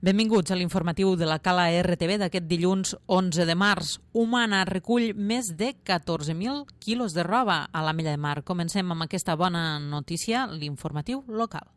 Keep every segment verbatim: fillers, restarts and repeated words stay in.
Benvinguts a l'informatiu de la Cala R T V d'aquest dilluns onze de març. Humana recull més de catorze mil quilos de roba a l'Ametlla de Mar. Comencem amb aquesta bona notícia, l'informatiu local.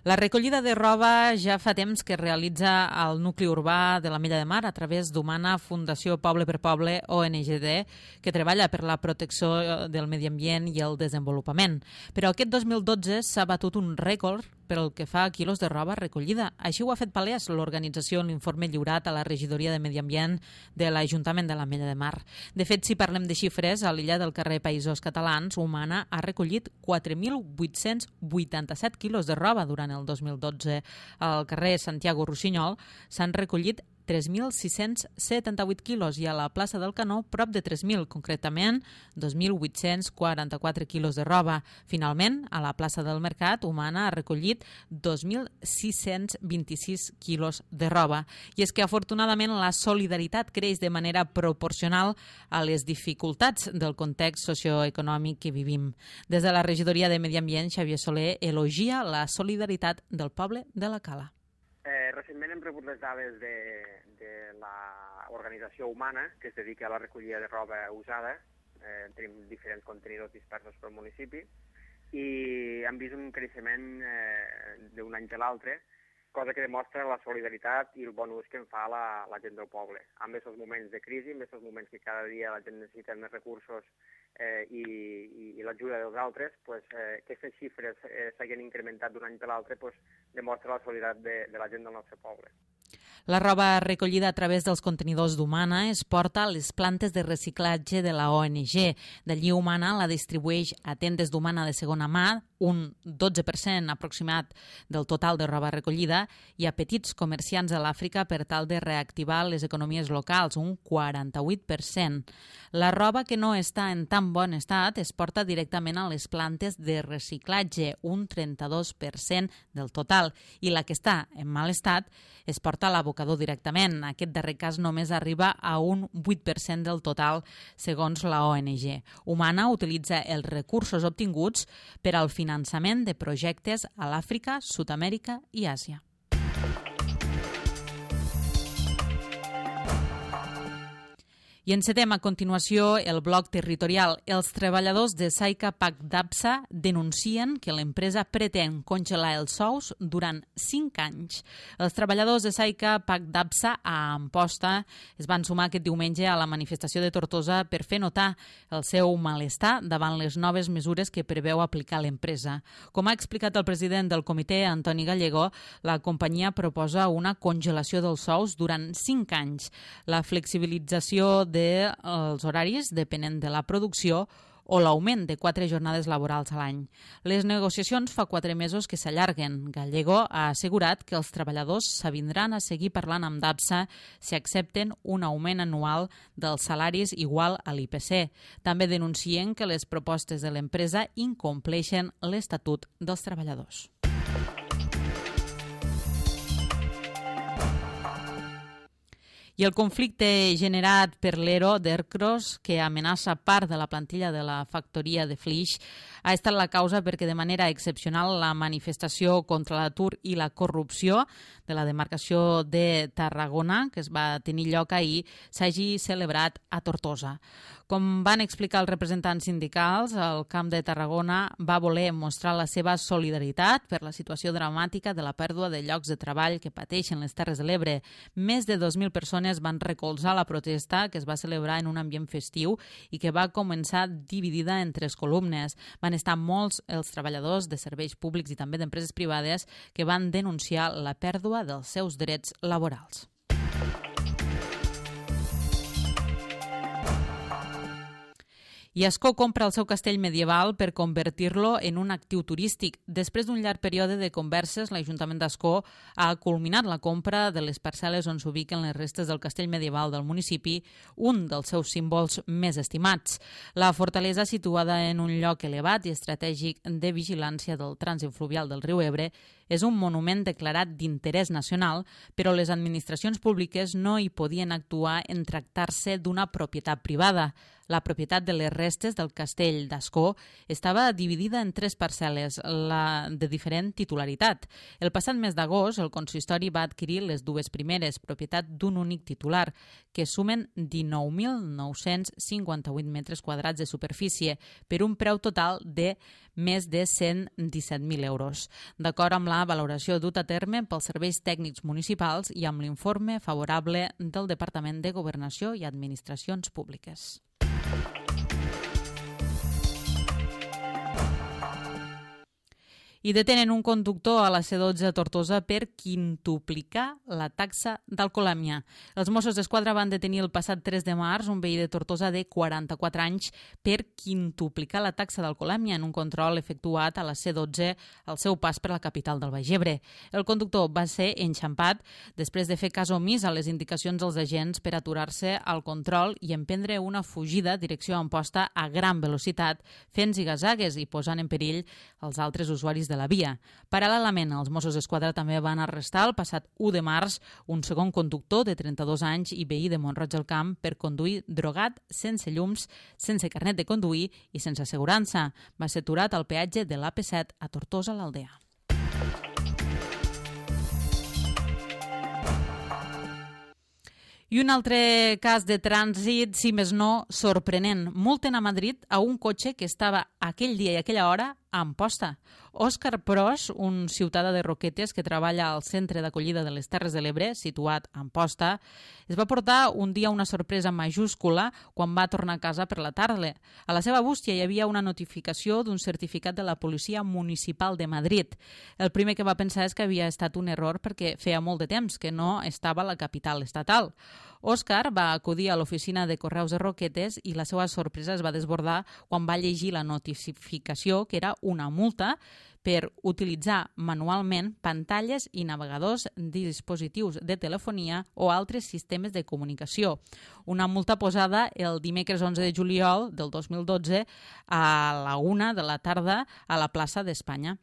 La recollida de roba ja fa temps que realitza el nucli urbà de l'Ametlla de Mar a través d'Humana Fundació Poble per Poble, O N G D, que treballa per la protecció del medi ambient i el desenvolupament. Però aquest dos mil dotze s'ha batut un rècord pel que fa a quilos de roba recollida. Així ho ha fet palès l'organització en l'informe lliurat a la regidoria de Medi Ambient de l'Ajuntament de l'Ametlla de Mar. De fet, si parlem de xifres, a l'illa del carrer Països Catalans, Humana ha recollit quatre mil vuit-cents vuitanta-set quilos de roba durant el dos mil dotze. Al carrer Santiago Rossinyol s'han recollit tres mil sis-cents setanta-vuit quilos i a la plaça del Canó prop de tres mil, concretament dos mil vuit-cents quaranta-quatre quilos de roba. Finalment, a la plaça del Mercat, Humana ha recollit dos mil sis-cents vint-i-sis quilos de roba. I és que, afortunadament, la solidaritat creix de manera proporcional a les dificultats del context socioeconòmic que vivim. Des de la regidoria de Medi Ambient, Xavier Soler elogia la solidaritat del poble de la Cala. Eh, recentment hem rebut les dades de, de l'organització Humana, que es dedica a la recollida de roba usada. Eh, tenim diferents contenidors dispersos pel municipi i hem vist un creixement eh, d'un any per l'altre, cosa que demostra la solidaritat i el bon ús que en fa la, la gent del poble. En aquests moments de crisi, en aquests moments que cada dia la gent necessita més recursos eh, i, i, i l'ajuda dels altres, pues, eh, aquestes xifres eh, s'hagin incrementat d'un any per l'altre, pues, demostra la solidaritat de, de la gent del nostre poble. La roba recollida a través dels contenidors d'Humana es porta a les plantes de reciclatge de la O N G. D'allí Humana la distribueix a tendes d'Humana de segona mà, un dotze per cent aproximat del total de roba recollida, i a petits comerciants a l'Àfrica per tal de reactivar les economies locals, un quaranta-vuit per cent. La roba que no està en tan bon estat es porta directament a les plantes de reciclatge, un trenta-dos per cent del total, i la que està en mal estat es porta a l'abocador directament. Aquest darrer cas només arriba a un vuit per cent del total, segons la O N G. Humana utilitza els recursos obtinguts per al finançament de projectes a l'Àfrica, Sud-amèrica i Àsia. I encetem a continuació el bloc territorial. Els treballadors de Saica Pac d'Absa denuncien que l'empresa pretén congelar els sous durant cinc anys. Els treballadors de Saica Pac d'Absa a Amposta es van sumar aquest diumenge a la manifestació de Tortosa per fer notar el seu malestar davant les noves mesures que preveu aplicar l'empresa. Com ha explicat el president del comitè, Antoni Gallego, la companyia proposa una congelació dels sous durant cinc anys. La flexibilització de dels horaris depenent de la producció o l'augment de quatre jornades laborals a l'any. Les negociacions fa quatre mesos que s'allarguen. Gallego ha assegurat que els treballadors s'avindran a seguir parlant amb d'Absa si accepten un augment anual dels salaris igual a l'I P C. També denuncien que les propostes de l'empresa incompleixen l'Estatut dels Treballadors. I el conflicte generat per l'ERO d'Ercros, que amenaça part de la plantilla de la factoria de Flix, ha estat la causa perquè de manera excepcional la manifestació contra l'atur i la corrupció de la demarcació de Tarragona, que es va tenir lloc ahir, s'hagi celebrat a Tortosa. Com van explicar els representants sindicals, el Camp de Tarragona va voler mostrar la seva solidaritat per la situació dramàtica de la pèrdua de llocs de treball que pateixen les Terres de l'Ebre. Més de dos mil persones van recolzar la protesta, que es va celebrar en un ambient festiu i que va començar dividida en tres columnes. Van estar molts els treballadors de serveis públics i també d'empreses privades que van denunciar la pèrdua dels seus drets laborals. I Ascó compra el seu castell medieval per convertir-lo en un actiu turístic. Després d'un llarg període de converses, l'Ajuntament d'Ascó ha culminat la compra de les parcel·les on s'ubiquen les restes del castell medieval del municipi, un dels seus símbols més estimats. La fortalesa, situada en un lloc elevat i estratègic de vigilància del trànsit fluvial del riu Ebre, És un monument declarat d'interès nacional, però les administracions públiques no hi podien actuar en tractar-se d'una propietat privada. La propietat de les restes del castell d'Ascó estava dividida en tres parcel·les, la de diferent titularitat. El passat mes d'agost, el consistori va adquirir les dues primeres, propietat d'un únic titular, que sumen dinou mil nou-cents cinquanta-vuit metres quadrats de superfície, per un preu total de més de cent disset mil euros. D'acord amb la valoració dut a terme pels serveis tècnics municipals i amb l'informe favorable del Departament de Governació i Administracions Públiques. I detenen un conductor a la C dotze a Tortosa per quintuplicar la taxa d'alcoholèmia. Els Mossos d'Esquadra van detenir el passat tres de març un veí de Tortosa de quaranta-quatre anys per quintuplicar la taxa d'alcoholèmia en un control efectuat a la C dotze al seu pas per la capital del Baix Ebre. El conductor va ser enxampat després de fer cas omís a les indicacions dels agents per aturar-se al control i emprendre una fugida direcció a Amposta a gran velocitat, fent zigazagues i posant en perill els altres usuaris de la via. Paral·lelament, els Mossos d'Esquadra també van arrestar el passat u de març un segon conductor de trenta-dos anys i veí de Mont-roig del Camp per conduir drogat, sense llums, sense carnet de conduir i sense assegurança. Va ser aturat al peatge de l'A P set a Tortosa l'Aldea. I un altre cas de trànsit, si més no, sorprenent. Multen a Madrid a un cotxe que estava aquell dia i aquella hora a Amposta. Òscar Pros, un ciutadà de Roquetes que treballa al Centre d'Acollida de les Terres de l'Ebre, situat a Amposta, es va portar un dia una sorpresa majúscula quan va tornar a casa per la tarda. A la seva bústia hi havia una notificació d'un certificat de la Policia Municipal de Madrid. El primer que va pensar és que havia estat un error perquè feia molt de temps que no estava a la capital estatal. Òscar va acudir a l'oficina de Correus de Roquetes i la seva sorpresa es va desbordar quan va llegir la notificació, que era una multa per utilitzar manualment pantalles i navegadors de dispositius de telefonia o altres sistemes de comunicació. Una multa posada el dimecres onze de juliol del dos mil dotze a la una de la tarda a la plaça d'Espanya.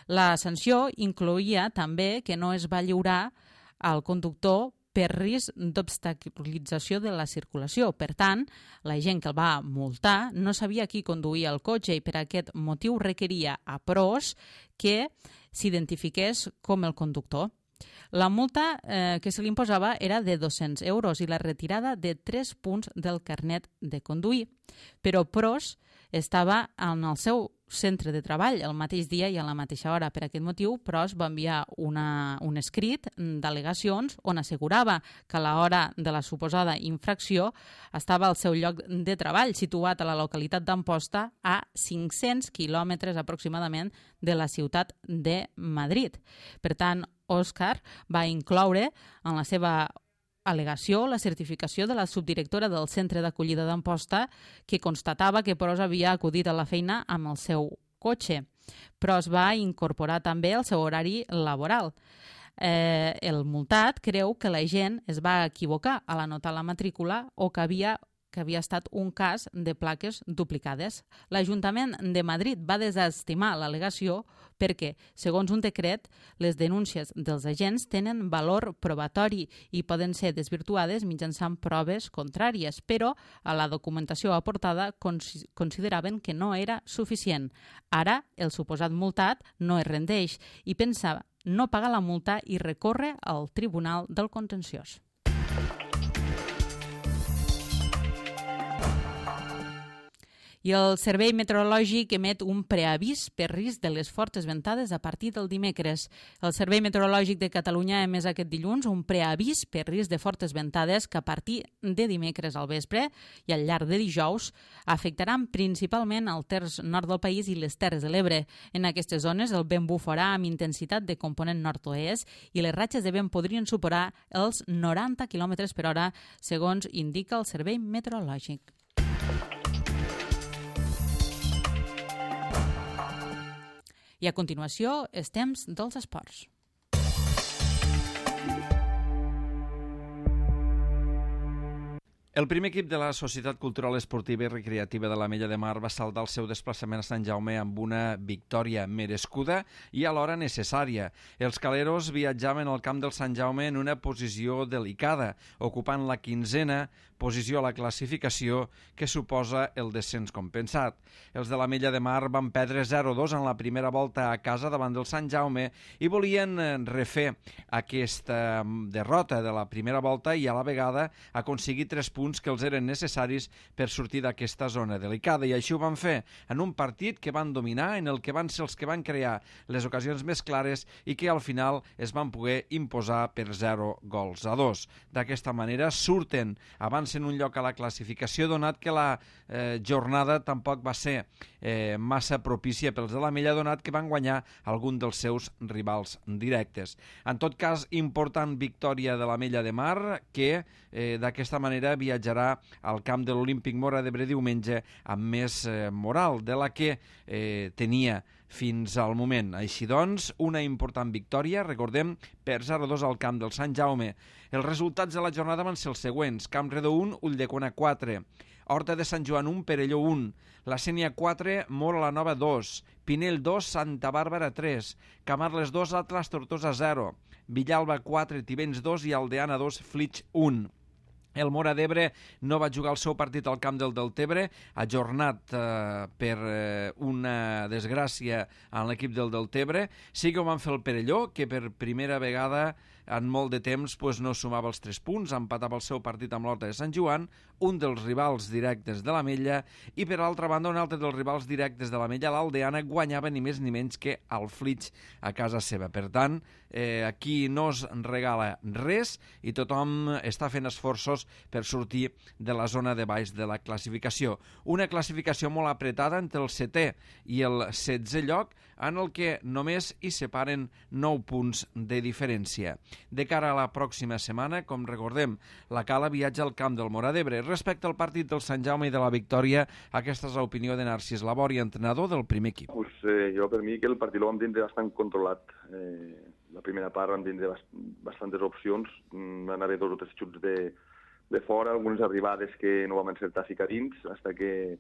La sanció incloïa també que no es va lliurar al conductor per risc d'obstaculització de la circulació. Per tant, la gent que el va multar no sabia qui conduïa el cotxe i per aquest motiu requeria a Pros que s'identifiqués com el conductor. La multa eh, que se li imposava era de dos-cents euros i la retirada de tres punts del carnet de conduir. Però Pros estava en el seu centre de treball el mateix dia i a la mateixa hora. Per aquest motiu, Pros va enviar una, un escrit d'al·legacions on assegurava que a l'hora de la suposada infracció estava al seu lloc de treball, situat a la localitat d'Amposta, a cinc-cents quilòmetres aproximadament de la ciutat de Madrid. Per tant, Òscar va incloure en la seva al·legació la certificació de la subdirectora del Centre d'Acollida d'Amposta que constatava que Pros havia acudit a la feina amb el seu cotxe. Pros va incorporar també el seu horari laboral. Eh, el multat creu que la gent es va equivocar a l'anotar la matrícula o que havia que havia estat un cas de plaques duplicades. L'Ajuntament de Madrid va desestimar l'al·legació perquè, segons un decret, les denúncies dels agents tenen valor probatori i poden ser desvirtuades mitjançant proves contràries, però a la documentació aportada consideraven que no era suficient. Ara, el suposat multat no es rendeix i pensa no pagar la multa i recorre al Tribunal del Contenciós. I el Servei Meteorològic emet un preavís per risc de les fortes ventades a partir del dimecres. El Servei Meteorològic de Catalunya ha emès aquest dilluns un preavís per risc de fortes ventades que a partir de dimecres al vespre i al llarg de dijous afectaran principalment el terç nord del país i les Terres de l'Ebre. En aquestes zones el vent bufarà amb intensitat de component nord-oest i les ratxes de vent podrien superar els noranta quilòmetres per hora, segons indica el Servei Meteorològic. I a continuació, els temps dels esports. El primer equip de la Societat Cultural Esportiva i Recreativa de l'Ametlla de Mar va saldar el seu desplaçament a Sant Jaume amb una victòria merescuda i alhora necessària. Els caleros viatjaven al camp del Sant Jaume en una posició delicada, ocupant la quinzena posició a la classificació que suposa el descens compensat. Els de l'Ametlla de Mar van perdre zero a dos en la primera volta a casa davant del Sant Jaume i volien refer aquesta derrota de la primera volta i a la vegada aconseguir tres punts que els eren necessaris per sortir d'aquesta zona delicada, i així ho van fer en un partit que van dominar, en el que van ser els que van crear les ocasions més clares i que al final es van poder imposar per zero gols a dos. D'aquesta manera surten abans en un lloc a la classificació, donat que la eh, jornada tampoc va ser eh, massa propícia pels de l'Ametlla, donat que van guanyar algun dels seus rivals directes. En tot cas, important victòria de l'Ametlla de Mar, que eh, d'aquesta manera viatjarà al camp de l'Olímpic Móra d'Ebre diumenge amb més eh, moral de la que eh, tenia fins al moment. Així doncs, una important victòria, recordem, per zero a dos al camp del Sant Jaume. Els resultats de la jornada van ser els següents: Campredó un, Ulldecona quatre, Horta de Sant Joan un, Perelló un, La Sénia quatre, Móra la Nova dos, Pinell dos, Santa Bàrbara tres, Camarles dos, Atlas Tortosa zero, Villalba quatre, Tivenys dos i Aldeana dos, Flix un. El Móra d'Ebre no va jugar el seu partit al camp del Deltebre, ajornat eh, per eh, una desgràcia en l'equip del Deltebre. Sí que ho van fer el Perelló, que per primera vegada en molt de temps pues, no sumava els tres punts, empatava el seu partit amb l'Horta de Sant Joan, un dels rivals directes de l'Ametlla, i per altra banda un altre dels rivals directes de l'Ametlla, l'Aldeana, guanyava ni més ni menys que el Flix a casa seva. Per tant, eh, aquí no es regala res i tothom està fent esforços per sortir de la zona de baix de la classificació. Una classificació molt apretada entre el setè i el setzè lloc, en el que només hi separen nou punts de diferència. De cara a la pròxima setmana, com recordem, la Cala viatja al camp del Móra d'Ebre. Respecte al partit del Sant Jaume i de la victòria, aquesta és l'opinió de Narcís Labori, entrenador del primer equip. Pues, eh, jo, per mi, que el partit el vam tindre bastant controlat. Eh, la primera part vam tindre bast bastantes opcions, van haver dos o tres xuts de, de fora, algunes arribades que no vam encertar a ficar dins, fins que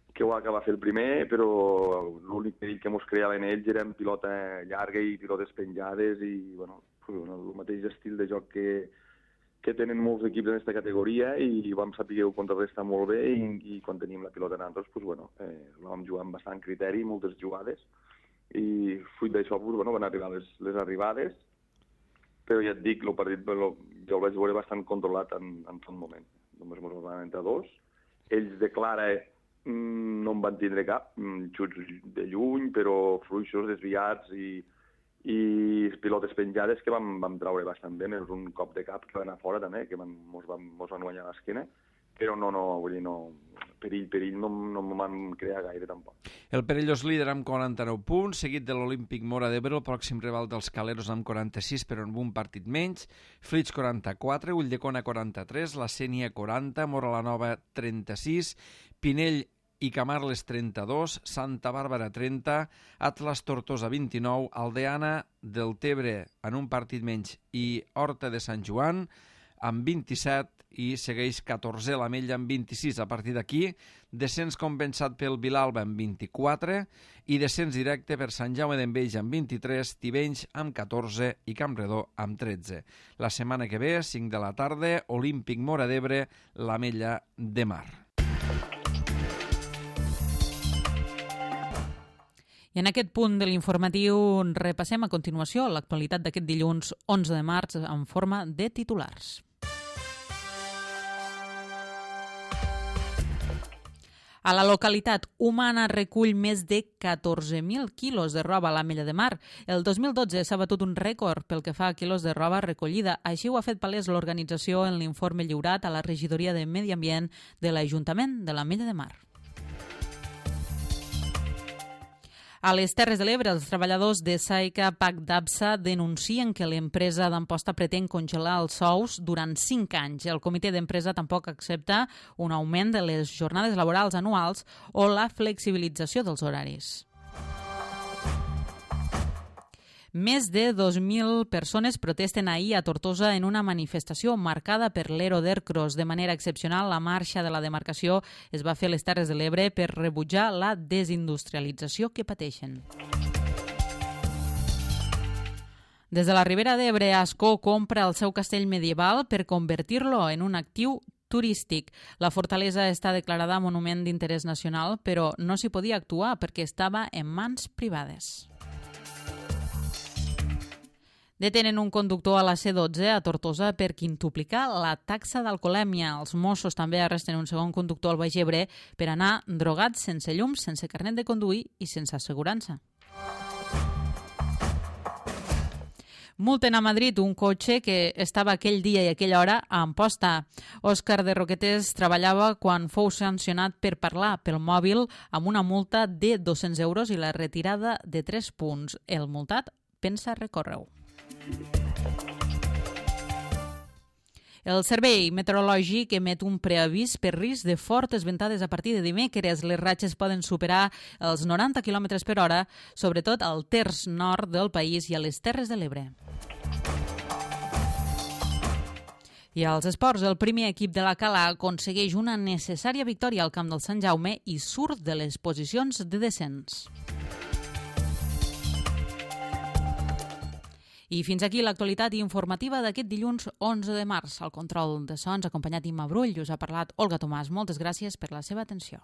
que ho va acabar fer el primer, però l'únic perill que ens creaven ells era en pilota llarga i pilotes penjades i bueno, el mateix estil de joc que, que tenen molts equips en aquesta categoria, i vam saber contrarrestar molt bé, i, i quan teníem la pilota en altres, pues, bueno, eh, la vam jugar amb bastant criteri, moltes jugades, i fruit d'això pues, bueno, van arribar les, les arribades, però ja et dic, el partit lo, jo el vaig veure bastant controlat en, en tot moment. Només ens van entrar dos. Ells de clara no en van tindre cap, xuts de lluny, però fluixos, desviats i, i pilotes penjades que vam, vam traure bastant bé, més un cop de cap que va anar fora també, que van, mos, van, mos van guanyar l'esquena, però no, no, vull dir, no, perill, perill no, no m'ho van crear gaire tampoc. El Perelló és líder amb quaranta-nou punts, seguit de l'Olímpic Móra d'Ebre, el pròxim rival dels Caleros amb quaranta-sis, però amb un partit menys, Flix quaranta-quatre, Ulldecona quaranta-tres, La Sénia quaranta, Móra la Nova trenta-sis, Pinell i Camarles trenta-dos, Santa Bàrbara trenta, Atlas Tortosa vint-i-nou, Aldeana del Tebre en un partit menys i Horta de Sant Joan amb vint-i-set, i segueix catorzè l'Ametlla amb vint-i-sis. A partir d'aquí, descens compensat pel Vilalba amb vint-i-quatre i descens directe per Sant Jaume d'Enveja amb vint-i-tres, Tivenys amb catorze i Campredó amb tretze. La setmana que ve, cinc de la tarda, Olímpic Móra d'Ebre, l'Ametlla de Mar. I en aquest punt de l'informatiu repassem a continuació l'actualitat d'aquest dilluns onze de març en forma de titulars. A la localitat, Humana recull més de catorze mil quilos de roba a l'Ametlla de Mar. El dos mil dotze s'ha batut un rècord pel que fa a quilos de roba recollida. Així ho ha fet palès l'organització en l'informe lliurat a la Regidoria de Medi Ambient de l'Ajuntament de l'Ametlla de Mar. A les Terres de l'Ebre, els treballadors de Saica Pac d'Absa denuncien que l'empresa d'Amposta pretén congelar els sous durant cinc anys. El comitè d'empresa tampoc accepta un augment de les jornades laborals anuals o la flexibilització dels horaris. Més de dos mil persones protesten ahir a Tortosa en una manifestació marcada per l'Ero d'Ercros. De manera excepcional, la marxa de la demarcació es va fer a les Terres de l'Ebre per rebutjar la desindustrialització que pateixen. Des de la Ribera d'Ebre, Ascó compra el seu castell medieval per convertir-lo en un actiu turístic. La fortalesa està declarada Monument d'Interès Nacional, però no s'hi podia actuar perquè estava en mans privades. Detenen un conductor a la C dotze a Tortosa per quintuplicar la taxa d'alcoholèmia. Els Mossos també arresten un segon conductor al Baix Ebre per anar drogat sense llums, sense carnet de conduir i sense assegurança. Multen a Madrid un cotxe que estava aquell dia i aquella hora a Amposta. Òscar de Roquetes treballava quan fou sancionat per parlar pel mòbil amb una multa de dos-cents euros i la retirada de tres punts. El multat pensa recórrer-ho. El Servei Meteorològic emet un preavís per risc de fortes ventades a partir de dimecres. Les ratxes poden superar els noranta quilòmetres per hora, sobretot al terç nord del país i a les Terres de l'Ebre. I als esports, el primer equip de la Cala aconsegueix una necessària victòria al camp del Sant Jaume i surt de les posicions de descens. I fins aquí l'actualitat informativa d'aquest dilluns onze de març. Al control de sons, acompanyat d'Imma Brull, us ha parlat Olga Tomàs. Moltes gràcies per la seva atenció.